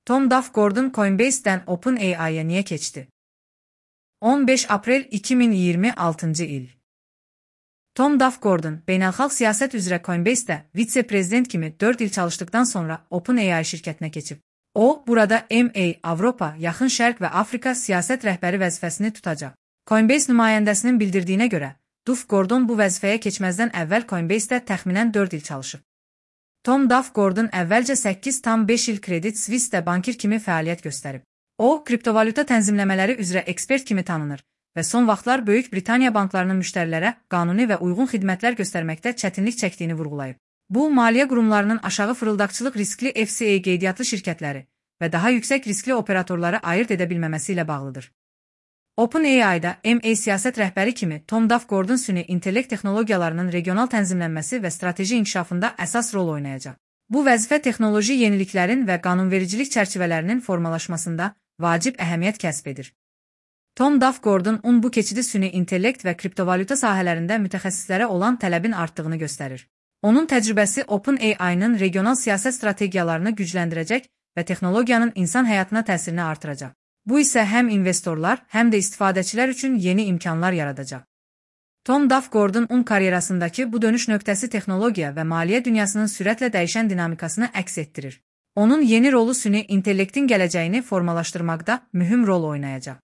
Tom Duff Gordon Coinbase'den OpenAI'ya niye geçti? 15 Aprel 2026 il. Tom Duff Gordon, beynəlxalq siyasət üzrə Coinbase'də vitse-prezident kimi 4 il çalışdıktan sonra OpenAI şirkətinə keçib. O, burada MA, Avropa, Yaxın Şərq və Afrika siyasət rəhbəri vəzifəsini tutacaq. Coinbase nümayəndəsinin bildirdiyinə görə, Duff Gordon bu vəzifəyə keçməzdən əvvəl Coinbase'də təxminən 4 il çalışıb. Tom Duff Gordon əvvəlcə 8,5 il Credit Suisse-də bankir kimi fəaliyyət göstərib. O, kriptovalyuta tənzimləmələri üzrə ekspert kimi tanınır və son vaxtlar Böyük Britaniya banklarının müştərilərə qanuni və uyğun xidmətlər göstərməkdə çətinlik çəkdiyini vurğulayıb. Bu, maliyyə qurumlarının aşağı fırıldaqçılıq riskli FCA qeydiyyatlı şirkətləri və daha yüksək riskli operatorları ayırt edə bilməməsi ilə bağlıdır. OpenAI-da MA siyasət rəhbəri kimi Tom Duff Gordon süni intellekt texnologiyalarının regional tənzimlənməsi və strateji inkişafında əsas rol oynayacaq. Bu vəzifə texnoloji yeniliklərin və qanunvericilik çərçivələrinin formalaşmasında vacib əhəmiyyət kəsb edir. Tom Duff Gordon bu keçidi süni intellekt və kriptovalyuta sahələrində mütəxəssislərə olan tələbin artdığını göstərir. Onun təcrübəsi OpenAI-nın regional siyasət strategiyalarını gücləndirəcək və texnologiyanın insan həyatına təsirini artıracaq. Bu isə həm investorlar, həm də istifadəçilər üçün yeni imkanlar yaradacaq. Tom Duff Gordon karyerasındakı bu dönüş nöqtəsi texnologiya və maliyyə dünyasının sürətlə dəyişən dinamikasını əks etdirir. Onun yeni rolu süni intellektin gələcəyini formalaşdırmaqda mühüm rol oynayacaq.